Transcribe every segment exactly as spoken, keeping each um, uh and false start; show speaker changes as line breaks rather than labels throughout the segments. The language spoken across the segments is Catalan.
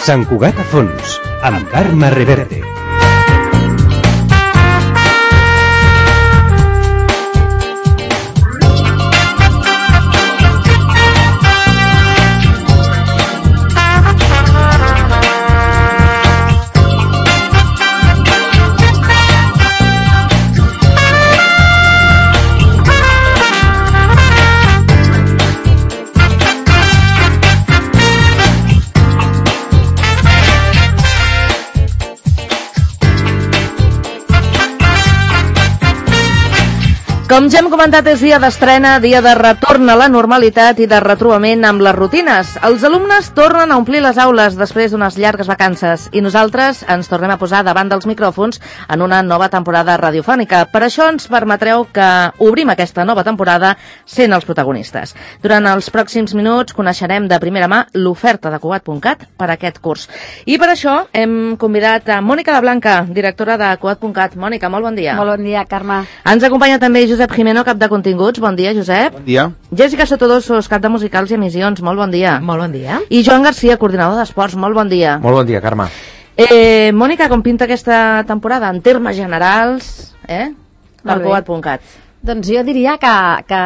Sant Cugat a fons, amb Carme Reverte.
Com ja hem comentat, és dia d'estrena, dia de retorn a la normalitat i de retrobament amb les rutines. Els alumnes tornen a omplir les aules després d'unes llargues vacances i nosaltres ens tornem a posar davant dels micròfons en una nova temporada radiofònica. Per això ens permetreu que obrim aquesta nova temporada sent els protagonistes. Durant els pròxims minuts coneixerem de primera mà l'oferta de Cugat punt cat per a aquest curs. I per això hem convidat a Mònica de Blanca, directora de Cugat punt cat. Mònica, molt bon dia.
Molt bon dia, Carme.
Ens acompanya també Josep Jimeno, cap de continguts. Bon dia, Josep.
Bon dia.
Jessica Sotodosos, cap de musicals i emissions. Molt bon dia.
Molt bon dia.
I Joan Garcia, coordinador d'esports. Molt bon dia.
Molt bon dia, Carme.
Eh, Mònica, com pinta aquesta temporada en termes generals, eh? Per Cugat punt cat.
Doncs jo diria que, que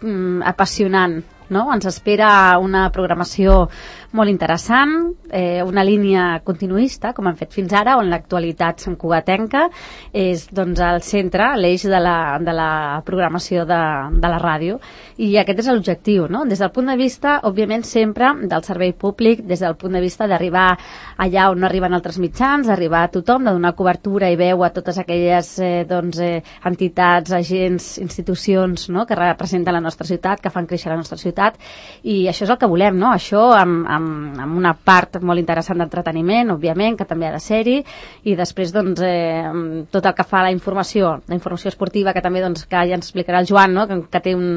mm, apassionant, no? Ens espera una programació molt interessant, eh, una línia continuista, com han fet fins ara, on l'actualitat santcugatenca és doncs, el centre, l'eix de la, de la programació de, de la ràdio. I aquest és l'objectiu, no? Des del punt de vista, òbviament, sempre del servei públic, des del punt de vista d'arribar allà on no arriben altres mitjans, d'arribar a tothom, de donar cobertura i veu a totes aquelles eh, doncs, eh, entitats, agents, institucions, no? Que representen la nostra ciutat, que fan créixer la nostra ciutat, i això és el que volem, no? Això amb, amb amb una part molt interessant d'entreteniment, òbviament, que també ha de ser-hi, i després doncs, eh, tot el que fa la informació, la informació esportiva, que també doncs, que ja ens explicarà el Joan, no? que, que té un,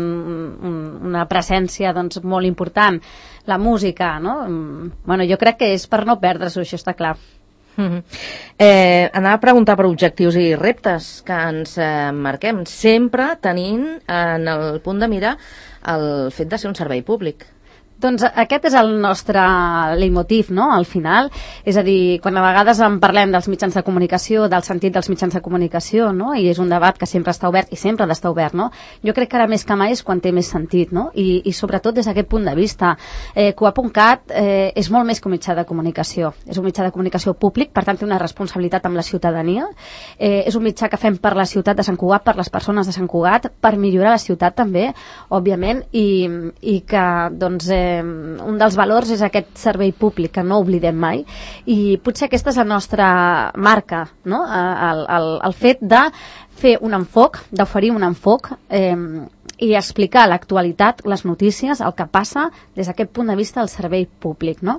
un, una presència doncs, molt important, la música, no? Bueno, jo crec que és per no perdre-s'ho, això està clar.
Mm-hmm. eh, anava a preguntar per objectius i reptes que ens eh, marquem, sempre tenint en el punt de mira el fet de ser un servei públic.
Doncs aquest és el nostre leitmotiv, no?, al final. És a dir, quan a vegades en parlem dels mitjans de comunicació, del sentit dels mitjans de comunicació, no?, i és un debat que sempre està obert i sempre ha d'estar obert, no?, jo crec que ara més que mai és quan té més sentit, no?, i, i sobretot des d'aquest punt de vista. Eh, Cugat punt cat eh, és molt més que un mitjà de comunicació. És un mitjà de comunicació públic, per tant té una responsabilitat amb la ciutadania. Eh, és un mitjà que fem per la ciutat de Sant Cugat, per les persones de Sant Cugat, per millorar la ciutat també, òbviament, i, i que, doncs, eh, un dels valors és aquest servei públic que no oblidem mai, i potser aquesta és la nostra marca, no? el, el, el fet de fer un enfoc, d'oferir un enfoc eh, i explicar l'actualitat, les notícies, el que passa des d'aquest punt de vista del servei públic, no?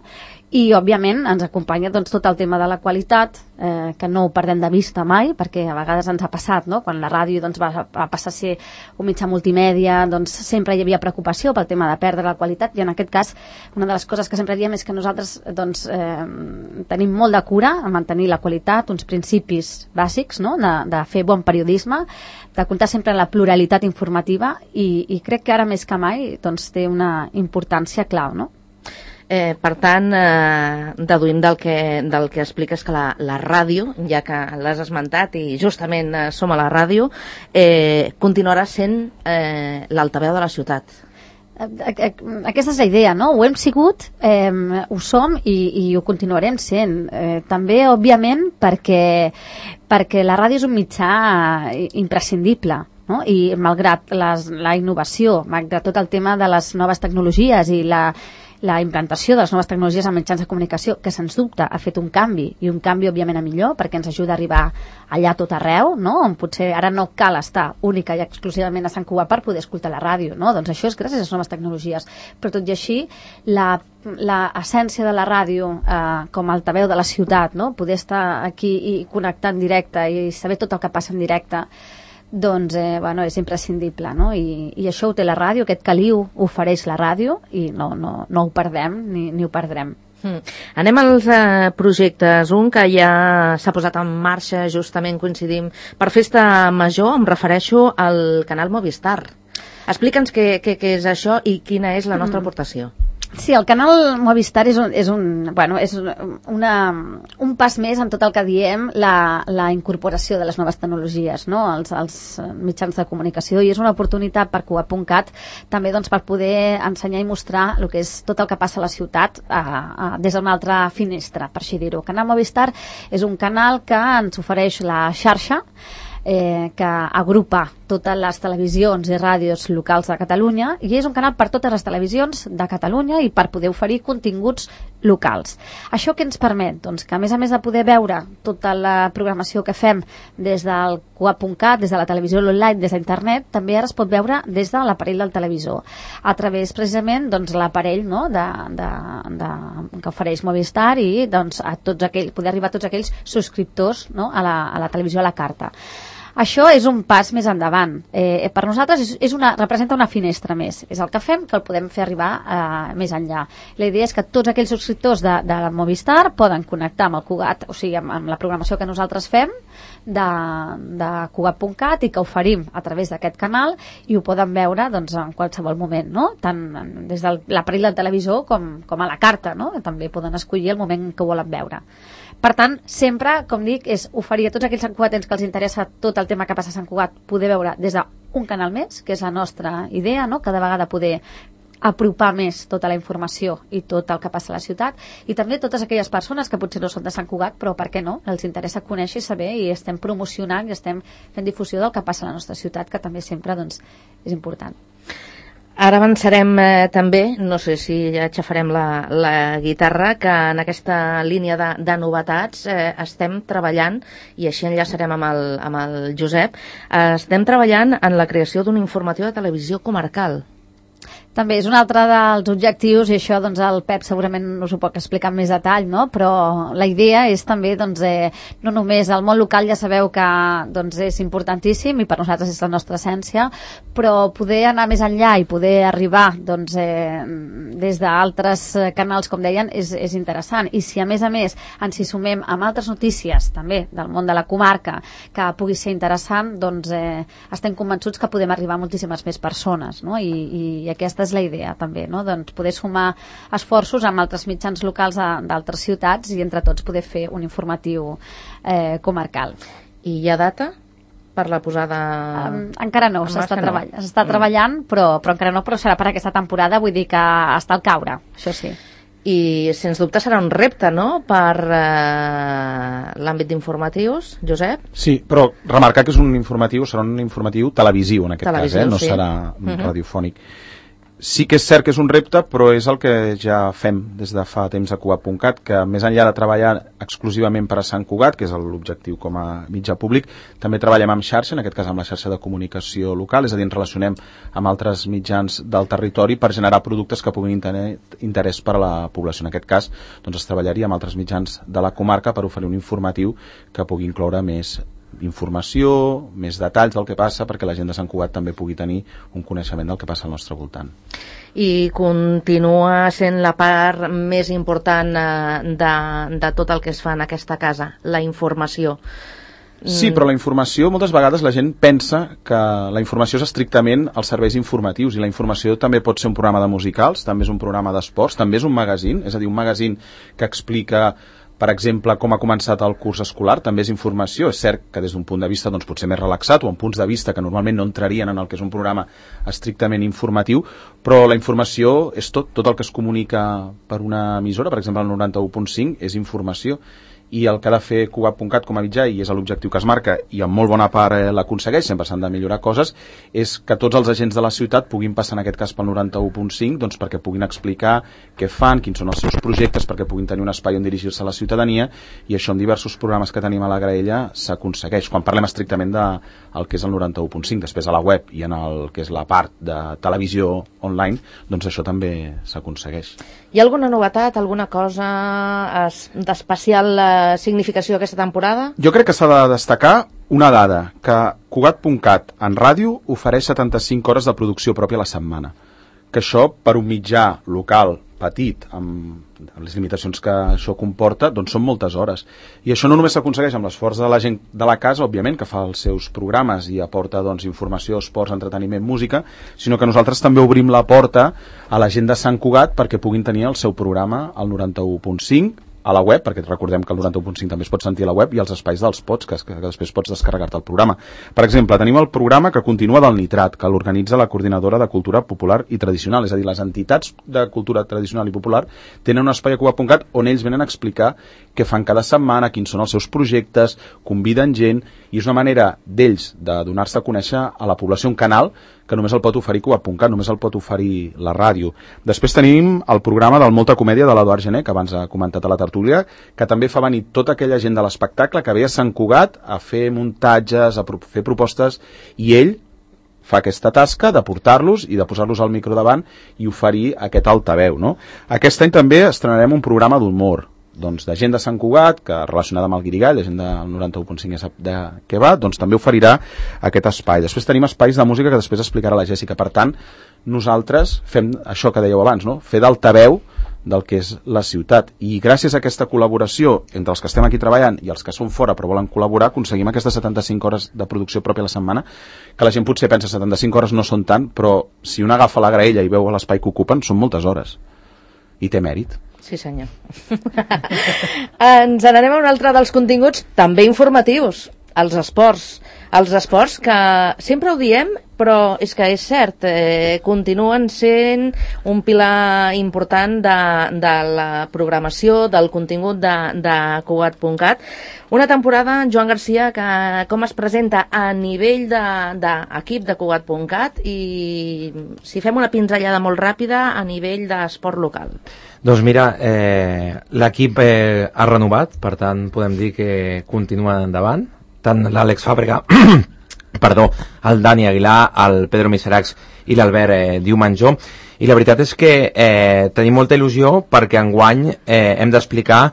I, òbviament, ens acompanya doncs, tot el tema de la qualitat, eh, que no ho perdem de vista mai, perquè a vegades ens ha passat, no?, quan la ràdio doncs, va, va passar a ser un mitjà multimèdia, doncs sempre hi havia preocupació pel tema de perdre la qualitat, i en aquest cas una de les coses que sempre diem és que nosaltres doncs, eh, tenim molt de cura a mantenir la qualitat, uns principis bàsics, no?, de, de fer bon periodisme, de comptar sempre en la pluralitat informativa, i, i crec que ara més que mai doncs, té una importància clau, no?
Eh, per tant, eh, deduïm del que, del que expliques que la, la ràdio, ja que l'has esmentat i justament eh, som a la ràdio, eh, continuarà sent eh, l'altaveu de la ciutat.
Aquesta és la idea, no? Ho hem sigut, eh, ho som i, i ho continuarem sent. Eh, també, òbviament, perquè, perquè la ràdio és un mitjà imprescindible, no? I malgrat les, la innovació, malgrat tot el tema de les noves tecnologies i la la implantació de les noves tecnologies en mitjans de comunicació, que sens dubte ha fet un canvi, i un canvi òbviament a millor, perquè ens ajuda a arribar allà tot arreu, no? On potser ara no cal estar única i exclusivament a Sant Cugat per poder escoltar la ràdio, no? Doncs això és gràcies a les noves tecnologies. Però tot i així, la, la essència de la ràdio eh, com a altaveu de la ciutat, no? Poder estar aquí i connectar en directe i saber tot el que passa en directe, doncs eh, bueno, és imprescindible, no? I, i això ho té la ràdio, aquest caliu ofereix la ràdio, i no, no, no ho perdem ni, ni ho perdrem.
Mm. Anem als eh, projectes. Un que ja s'ha posat en marxa, justament coincidim, per Festa Major, em refereixo al canal Movistar. Explica'ns què, què, què és això i quina és la nostra mm. aportació.
Sí, el canal Movistar és un, és un, bueno, és una, un pas més en tot el que diem la, la incorporació de les noves tecnologies, no? als, als mitjans de comunicació, i és una oportunitat per Cugat punt cat també doncs, per poder ensenyar i mostrar el que és tot el que passa a la ciutat a, a, des d'una altra finestra, per així dir-ho. Canal Movistar és un canal que ens ofereix la xarxa, Eh, que agrupa totes les televisions i ràdios locals de Catalunya, i és un canal per totes les televisions de Catalunya i per poder oferir continguts locals. Això què ens permet? Doncs que a més a més de poder veure tota la programació que fem des del Cugat punt cat, des de la televisió online, des d'internet, també ara es pot veure des de l'aparell del televisor, a través precisament doncs, l'aparell no? de, de, de, que ofereix Movistar, i doncs, a tots aquells, poder arribar a tots aquells subscriptors no? a, la, a la televisió a la carta. Això és un pas més endavant. Eh, per nosaltres és, és una, representa una finestra més. És el que fem, que el podem fer arribar eh, més enllà. La idea és que tots aquells subscriptors de, de Movistar poden connectar amb el Cugat, o sigui, amb, amb la programació que nosaltres fem de, de Cugat punt cat, i que oferim a través d'aquest canal, i ho poden veure doncs, en qualsevol moment, no? Tant des de l'aparell del televisor com, com a la carta, no? També poden escollir el moment que volen veure. Per tant, sempre, com dic, és oferir a tots aquells santcugatens que els interessa tot el tema que passa a Sant Cugat, poder veure des d'un canal més, que és la nostra idea, no? Cada vegada poder apropar més tota la informació i tot el que passa a la ciutat, i també totes aquelles persones que potser no són de Sant Cugat, però per què no? Els interessa conèixer i saber, i estem promocionant i estem fent difusió del que passa a la nostra ciutat, que també sempre doncs, és important.
Ara avançarem eh, també, no sé si ja aixafarem la, la guitarra, que en aquesta línia de, de novetats eh, estem treballant, i així enllaçarem amb el, amb el Josep, eh, estem treballant en la creació d'un informatiu de televisió comarcal.
També és un altre dels objectius, i això doncs, el Pep segurament us ho pot explicar amb més detall, no? Però la idea és també, doncs, eh, no només el món local, ja sabeu que doncs, és importantíssim i per nosaltres és la nostra essència, però poder anar més enllà i poder arribar doncs, eh, des d'altres canals, com deien, és, és interessant. I si a més a més ens hi sumem amb altres notícies també del món de la comarca que pugui ser interessant, doncs eh, estem convençuts que podem arribar a moltíssimes més persones, no? I, i aquesta és la idea també, no? Doncs poder sumar esforços amb altres mitjans locals d'altres ciutats i entre tots poder fer un informatiu eh, comarcal.
I hi ha data per la posada?
Um, encara no, s'està no. treball, mm. treballant, però, però encara no, però serà per aquesta temporada, vull dir que està al caure, això sí.
I sens dubte serà un repte, no?, per eh, l'àmbit d'informatius, Josep?
Sí, però remarcar que és un informatiu, serà un informatiu televisiu en aquest televisiu, cas, eh? No sí. serà uh-huh. radiofònic. Sí que és cert que és un repte, però és el que ja fem des de fa temps a Cugat punt cat, que més enllà de treballar exclusivament per a Sant Cugat, que és l'objectiu com a mitjà públic, també treballem amb xarxa, en aquest cas amb la xarxa de comunicació local, és a dir, ens relacionem amb altres mitjans del territori per generar productes que puguin tenir interès per a la població. En aquest cas, doncs, es treballaria amb altres mitjans de la comarca per oferir un informatiu que pugui incloure més informació, més detalls del que passa, perquè la gent de Sant Cugat també pugui tenir un coneixement del que passa al nostre voltant.
I continua sent la part més important eh, de, de tot el que es fa en aquesta casa, la informació.
Sí, però la informació, moltes vegades la gent pensa que la informació és estrictament els serveis informatius, i la informació també pot ser un programa de musicals, també és un programa d'esports, també és un magazín, és a dir, un magazín que explica, per exemple, com ha començat el curs escolar, també és informació. És cert que des d'un punt de vista doncs, potser més relaxat, o en punts de vista que normalment no entrarien en el que és un programa estrictament informatiu, però la informació és tot, tot el que es comunica per una emissora, per exemple el noranta-u punt cinc, és informació. I el que ha de fer Cugat punt cat com a mitjà, i és l'objectiu que es marca, i en molt bona part eh, l'aconsegueix, sempre s'han de millorar coses, és que tots els agents de la ciutat puguin passar, en aquest cas pel noranta-u punt cinc, doncs perquè puguin explicar què fan, quins són els seus projectes, perquè puguin tenir un espai on dirigir-se a la ciutadania, i això en diversos programes que tenim a la graella s'aconsegueix, quan parlem estrictament de el que és el noranta-u punt cinc. Després a la web i en el que és la part de televisió online, doncs això també s'aconsegueix.
Hi ha alguna novetat, alguna cosa d'especial eh, significació aquesta temporada?
Jo crec que s'ha de destacar una dada, que Cugat punt cat en ràdio ofereix setanta-cinc hores de producció pròpia a la setmana, que això per un mitjà local petit, amb les limitacions que això comporta, doncs són moltes hores. I això no només s'aconsegueix amb l'esforç de la gent de la casa, òbviament, que fa els seus programes i aporta doncs, informació, esports, entreteniment, música, sinó que nosaltres també obrim la porta a la gent de Sant Cugat perquè puguin tenir el seu programa al noranta-u punt cinc, a la web, perquè recordem que el noranta-u punt cinc també es pot sentir a la web, i els espais dels podcasts, que, que després pots descarregar-te el programa. Per exemple, tenim el programa que continua del Nitrat, que l'organitza la Coordinadora de Cultura Popular i Tradicional, és a dir, les entitats de cultura tradicional i popular tenen un espai a cugat punt cat on ells venen a explicar què fan cada setmana, quins són els seus projectes, conviden gent, i és una manera d'ells de donar-se a conèixer a la població, un canal que només el pot oferir cugat punt cat, només el pot oferir la ràdio. Després tenim el programa del Molta Comèdia de l'Eduard Gené, que abans ha comentat a la tertúlia, que també fa venir tota aquella gent de l'espectacle que ve a Sant Cugat a fer muntatges, a pro fer propostes, i ell fa aquesta tasca de portar-los i de posar-los al micro davant i oferir aquest altaveu, no? Aquest any també estrenarem un programa d'humor, doncs de gent de Sant Cugat, que relacionada amb el Guirigall, de gent del noranta-u punt cinc ja sap de què va, doncs també oferirà aquest espai. Després tenim espais de música que després explicarà la Jèssica. Per tant, nosaltres fem això que dèieu abans, no? Fer d'altaveu del que és la ciutat. I gràcies a aquesta col·laboració entre els que estem aquí treballant i els que són fora però volen col·laborar, aconseguim aquestes setanta-cinc hores de producció pròpia a la setmana, que la gent potser pensa setanta-cinc hores no són tant, però si un agafa la graella i veu l'espai que ocupen, són moltes hores. I té mèrit.
Sí, senyor. Ens n'anem a un altre dels continguts, també informatius, els esports. Els esports que sempre ho diem, però és que és cert, eh, continuen sent un pilar important de, de la programació, del contingut de, de cugat punt cat. Una temporada, Joan Garcia, que com es presenta a nivell d'equip de, de cugat punt cat, i si fem una pinzellada molt ràpida a nivell d'esport local.
Doncs mira, eh, l'equip eh, ha renovat, per tant podem dir que continua endavant, tant l'Àlex Fàbrega, perdó, el Dani Aguilar, el Pedro Miseracs i l'Albert eh, Diumanjó, i la veritat és que eh, tenim molta il·lusió perquè enguany eh, hem d'explicar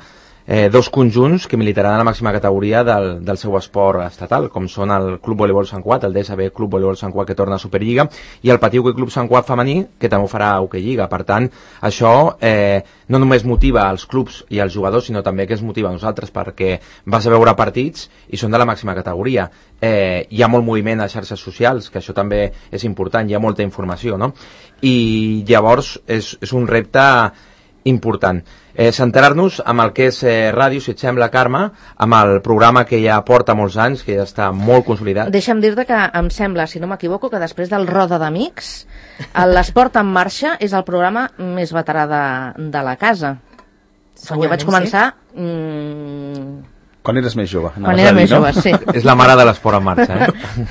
eh, dos conjunts que militaran a la màxima categoria del, del seu esport estatal, com són el Club Voleibol Sant Cugat, el D S B Club Voleibol Sant Cugat, que torna a Superliga, i el Patí Hoquei Club Sant Cugat femení, que també ho farà a Hoquei Lliga. Per tant, això eh, no només motiva els clubs i els jugadors, sinó també que es motiva a nosaltres, perquè vas a veure partits i són de la màxima categoria. Eh, hi ha molt moviment a xarxes socials, que això també és important, hi ha molta informació, no? I llavors és, és un repte important. Eh, centrar-nos amb el que és eh, ràdio, si et sembla, Carme, amb el programa que ja porta molts anys, que ja està molt consolidat.
Deixa'm dir-te que em sembla, si no m'equivoco, que després del Roda d'Amics, l'Esport en Marxa és el programa més veterà de, de la casa. Quan jo vaig començar... Sí. Mmm,
quan eres més jove.
Quan era més jove, sí.
És la mare de l'esport en marxa, eh?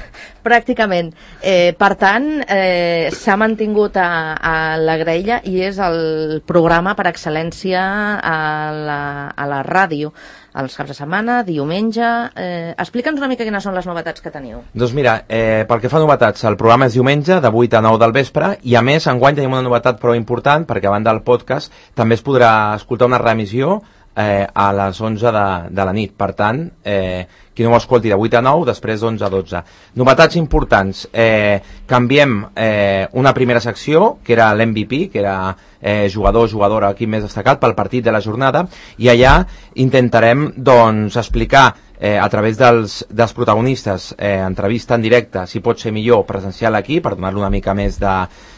Pràcticament. Eh, per tant, eh, s'ha mantingut a, a la graella i és el programa per excel·lència a la, a la ràdio. Els caps de setmana, diumenge... Eh, Explica'ns una mica quines són les novetats que teniu.
Doncs mira, eh, pel que fa a novetats, el programa és diumenge de vuit a nou del vespre, i a més enguany tenim una novetat prou important, perquè a banda del podcast també es podrà escoltar una reemissió Eh, a les onze de, de la nit. Per tant, eh, qui no ho escolti de vuit a nou, després d'onze a dotze. Novetats importants. Eh, canviem eh, una primera secció, que era l'M V P, que era eh, jugador o jugadora, equip més destacat pel partit de la jornada, i allà intentarem doncs, explicar eh, a través dels, dels protagonistes, eh, entrevista en directe, si pot ser millor presencial aquí, per donar-li una mica més de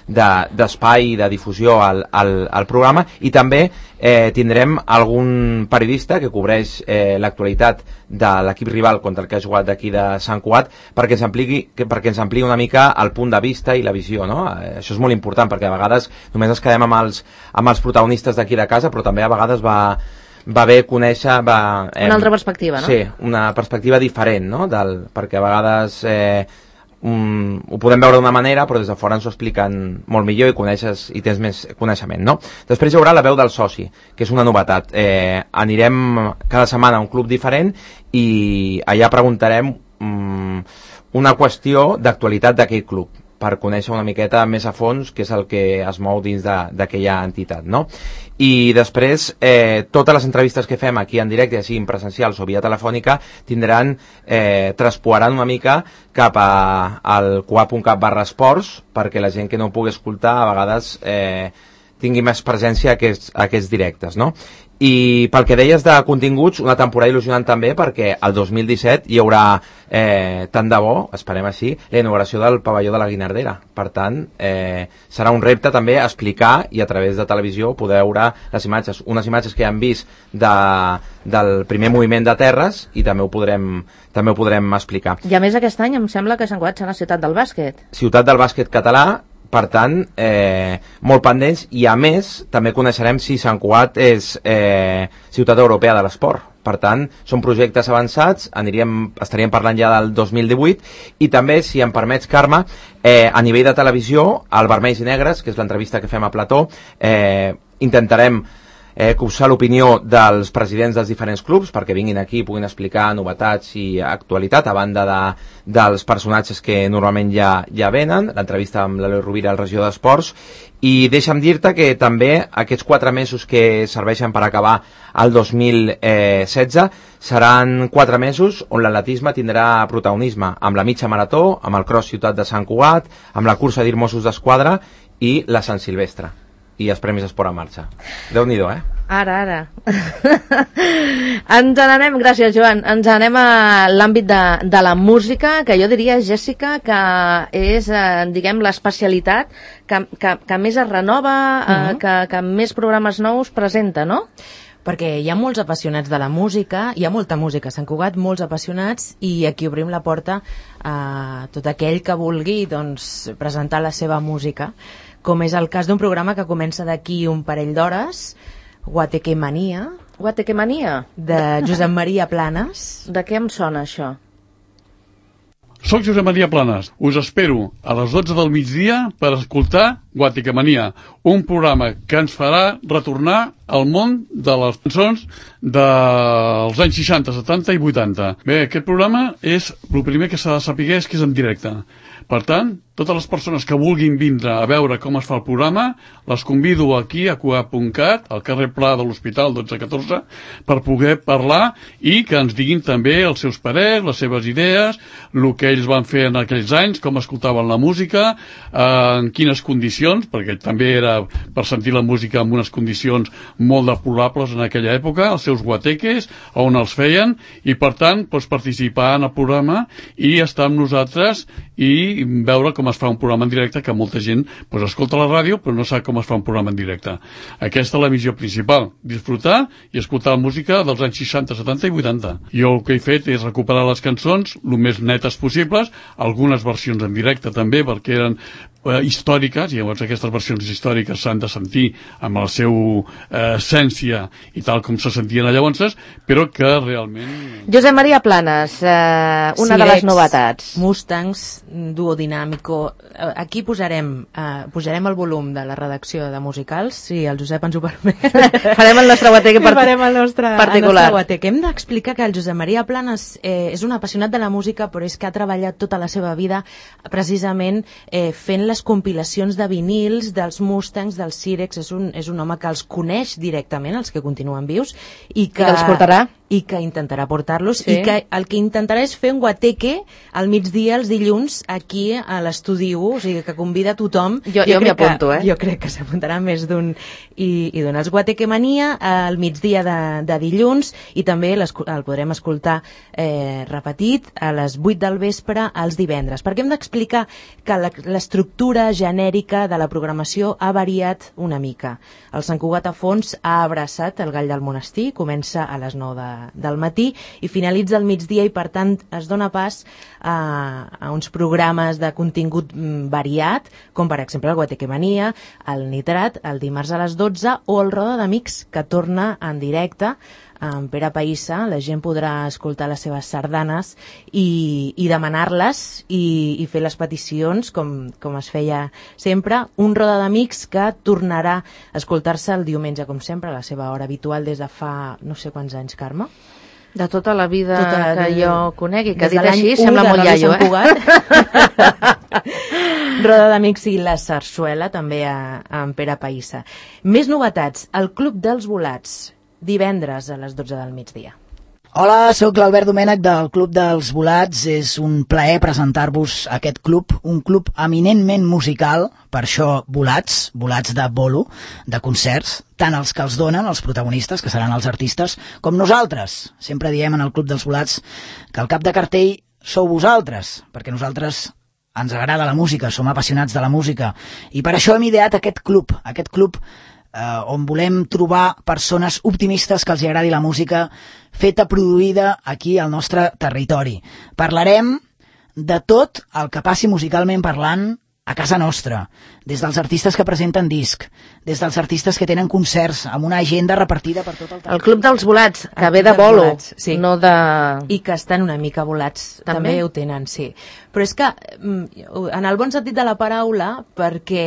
d'espai, de, de difusió al, al, al programa, i també eh, tindrem algun periodista que cobreix eh, l'actualitat de l'equip rival contra el que ha jugat d'aquí de Sant Cugat, perquè ens ampliqui, que, perquè ens ampliï una mica el punt de vista i la visió, no? Eh, això és molt important, perquè a vegades només ens quedem amb els, amb els protagonistes d'aquí de casa, però també a vegades va va bé conèixer... Va,
eh, una altra perspectiva, no?
Sí, una perspectiva diferent, no? Del, perquè a vegades eh, um, ho podem veure d'una manera, però des de fora ens ho expliquen molt millor i coneixes i tens més coneixement, no? Després hi haurà la veu del soci, que és una novetat. Eh, anirem cada setmana a un club diferent i allà preguntarem um, una qüestió d'actualitat d'aquell club, per conèixer una miqueta més a fons què és el que es mou dins d'aquella entitat, no? I després, eh, totes les entrevistes que fem aquí en directe, ja siguin presencials o via telefònica, tindran, eh, traspoaran una mica cap a, al cugat punt cat barra esports, perquè la gent que no ho pugui escoltar a vegades eh, tingui més presència a aquests, a aquests directes, no? I pel que deies de continguts, una temporada il·lusionant també, perquè el dos mil disset hi haurà, eh, tant de bo, esperem així, la inauguració del pavelló de la Guinardera. Per tant, eh, serà un repte també explicar i a través de televisió poder veure les imatges, unes imatges que ja hem vist de, del primer moviment de terres i també ho podrem, també ho podrem explicar.
I a més aquest any em sembla que Sant Cugat serà ciutat del bàsquet.
Ciutat del bàsquet català. Per tant, eh, molt pendents, i a més també coneixerem si Sant Cugat és eh, ciutat europea de l'esport. Per tant, són projectes avançats, aniríem, estaríem parlant ja del dos mil divuit, i també, si em permets, Carme, eh, a nivell de televisió, al Vermells i Negres, que és l'entrevista que fem a Plató, eh, intentarem eh, cursar l'opinió dels presidents dels diferents clubs perquè vinguin aquí i puguin explicar novetats i actualitat, a banda de, dels personatges que normalment ja, ja venen, l'entrevista amb l'Eloi Rovira, el regidor d'Esports. I deixa'm dir-te que també aquests quatre mesos que serveixen per acabar el dos mil setze seran quatre mesos on l'atletisme tindrà protagonisme, amb la mitja marató, amb el cross Ciutat de Sant Cugat, amb la cursa d'Ir Mossos d'Esquadra i la Sant Silvestre i els Premis Esport en Marxa. Déu-n'hi-do, eh?
Ara, ara. Ens n'anem, gràcies Joan, ens n'anem a l'àmbit de, de la música, que jo diria, Jèssica, que és, eh, diguem, l'especialitat que, que, que més es renova, eh, uh-huh. que, que més programes nous presenta, no?
Perquè hi ha molts apassionats de la música, hi ha molta música a Sant Cugat, molts apassionats, i aquí obrim la porta a tot aquell que vulgui, doncs, presentar la seva música, com és el cas d'un programa que comença d'aquí un parell d'hores, Guatequemania.
Guatequemania?
De Josep Maria Planes.
De què em sona això?
Soc Josep Maria Planes. Us espero a les dotze del migdia per escoltar Guatequemania, un programa que ens farà retornar al món de les cançons dels anys seixanta, setanta i vuitanta. Bé, aquest programa és, el primer que s'ha de saber és que és en directe. Per tant, totes les persones que vulguin vindre a veure com es fa el programa, les convido aquí a cugat punt cat, al carrer Pla de l'Hospital dotze catorze, per poder parlar i que ens diguin també els seus parers, les seves idees, el que ells van fer en aquells anys, com escoltaven la música, eh, en quines condicions, perquè també era per sentir la música en unes condicions molt deplorables en aquella època, els seus guateques, on els feien, i per tant doncs, participar en el programa i estar amb nosaltres i veure com es fa un programa en directe, que molta gent pues, escolta la ràdio però no sap com es fa un programa en directe. Aquesta és la missió principal, disfrutar i escoltar la música dels anys seixanta, setanta i vuitanta. Jo el que he fet és recuperar les cançons el més netes possibles, algunes versions en directe també, perquè eren eh, històriques, i llavors aquestes versions històriques s'han de sentir amb la seva eh, essència i tal com se sentien llavors, però que realment...
Josep Maria Planes, eh, una
Sirex,
de les novetats.
Mustangs, duo dinàmico. Aquí posarem, eh, pujarem el volum de la redacció de musicals, si el Josep ens ho permet.
Farem el nostre guateque part...
Farem el nostre,
particular.
El nostre guateque. Hem d'explicar que el Josep Maria Planes eh, és un apassionat de la música, però és que ha treballat tota la seva vida precisament eh, fent les compilacions de vinils dels Mustangs, dels Sirex. És un, és un home que els coneix directament, els que continuen vius, i que,
I que els portarà.
I que intentarà portar-los,
Sí.
i que el que intentarà és fer un guateque al migdia, els dilluns, aquí a l'estudi u, o sigui que convida a tothom.
Jo, jo, jo m'hi apunto, eh?
Jo crec que s'apuntarà més d'un i, i d'un. Els Guatequemania al migdia de, de dilluns, i també el podrem escoltar eh, repetit a les vuit del vespre els divendres, perquè hem d'explicar que l'estructura genèrica de la programació ha variat una mica. El Sant Cugat a fons ha abraçat el Gall del Monestir, comença a les nou de, del matí i finalitza al migdia, i per tant es dona pas a, a uns programes de contingut variat, com per exemple el Guatequemania, el Nitrat, el dimarts a les dotze, o el Roda d'Amics, que torna en directe amb Pere Païssa. La gent podrà escoltar les seves sardanes i, i demanar-les i, i fer les peticions com, com es feia sempre. Un Roda d'Amics que tornarà a escoltar-se el diumenge, com sempre, a la seva hora habitual des de fa no sé quants anys, Carme.
De tota la vida
tota,
que jo conegui, que
dit
dit així sembla molt iaio, eh?
Roda d'Amics i la sarsuela, també a, a en Pere Païssa. Més novetats, el Club dels Volats, divendres a les dotze del migdia.
Hola, sóc l'Albert Domènech del Club dels Volats. És un plaer presentar-vos aquest club, un club eminentment musical, per això Volats, Volats de bolo, de concerts, tant els que els donen, els protagonistes, que seran els artistes, com nosaltres. Sempre diem en el Club dels Volats que el cap de cartell sou vosaltres, perquè nosaltres ens agrada la música, som apassionats de la música, i per això hem ideat aquest club, aquest club Uh, on volem trobar persones optimistes que els agradi la música feta, produïda aquí al nostre territori. Parlarem de tot el que passi musicalment parlant a casa nostra, des dels artistes que presenten disc, des dels artistes que tenen concerts amb una agenda repartida per tot el territori.
El Club dels Volats, que
El
ve de
Club dels
bolo,
Volats, sí.
no de...
I que estan una mica volats, també, també ho tenen, sí. Però és que, en el bon sentit de la paraula, perquè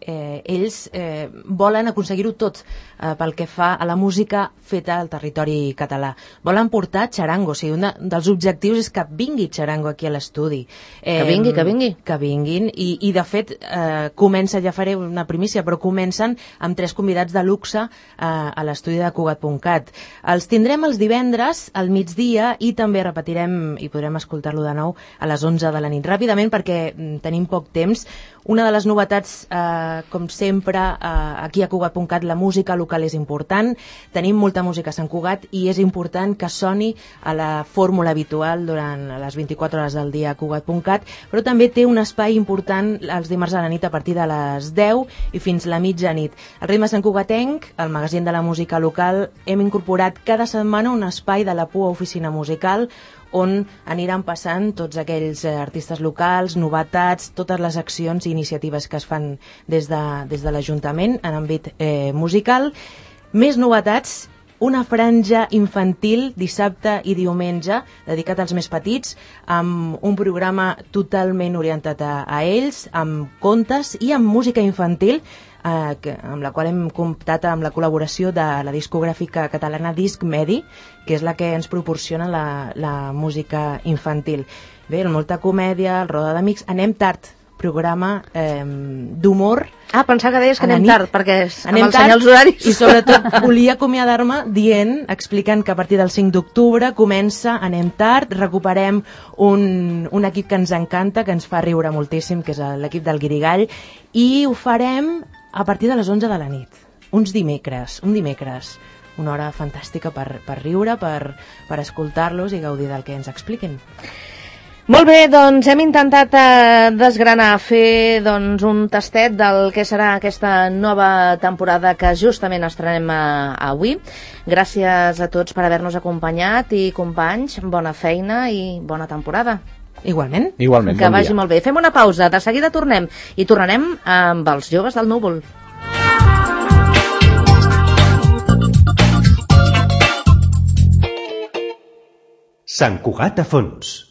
eh, ells eh, volen aconseguir-ho tot eh, pel que fa a la música feta al territori català. Volen portar xarango, o sigui, un de, dels objectius és que vingui xarango aquí a l'estudi. Eh,
Que vingui, que vingui.
Que vinguin, i, i de fet, eh, comença, ja faré una primícia, però comencen amb tres convidats de luxe eh, a l'estudi de Cugat punt cat. Els tindrem els divendres al migdia i també repetirem i podrem escoltar-lo de nou a les onze de la nit. Ràpidament, perquè mm, tenim poc temps, una de les novetats, eh, com sempre, eh, aquí a Cugat punt cat la música local és important. Tenim molta música a Sant Cugat i és important que soni a la fórmula habitual durant les vint-i-quatre hores del dia a Cugat punt cat, però també té un espai important els dimarts a la nit a partir de les deu i fins la mitjanit. Al Ritme Sant Cugatenc, el magazín de la música local, hem incorporat cada setmana un espai de la P U A Oficina Musical on aniran passant tots aquells eh, artistes locals, novetats, totes les accions i iniciatives que es fan des de, des de l'Ajuntament en àmbit eh, musical. Més novetats, una franja infantil dissabte i diumenge dedicat als més petits, amb un programa totalment orientat a, a ells, amb contes i amb música infantil, eh, que, amb la qual hem comptat amb la col·laboració de la discogràfica catalana Disc Medi, que és la que ens proporciona la, la música infantil. Bé, molta comèdia, el Roda d'Amics, anem tard, programa eh, d'humor.
Ah, pensava que deies que
a la
anem
nit.
tard, perquè és
Anem
amb els
tard,
senyals horaris.
I sobretot volia acomiadar-me dient, explicant que a partir del cinc d'octubre comença Anem tard, recuperem un, un equip que ens encanta, que ens fa riure moltíssim, que és l'equip del Guirigall, i ho farem a partir de les onze de la nit, uns dimecres, un dimecres, una hora fantàstica per, per riure, per, per escoltar-los i gaudir del que ens expliquen.
Molt bé, doncs hem intentat eh, desgranar, fer doncs, un tastet del que serà aquesta nova temporada que justament estrenem eh, avui. Gràcies a tots per haver-nos acompanyat i companys, bona feina i bona temporada.
Igualment.
Igualment,
que
bon
vagi
dia.
molt bé. Fem una pausa, de seguida tornem i tornarem amb els joves del núvol.
Sant Cugat a fons.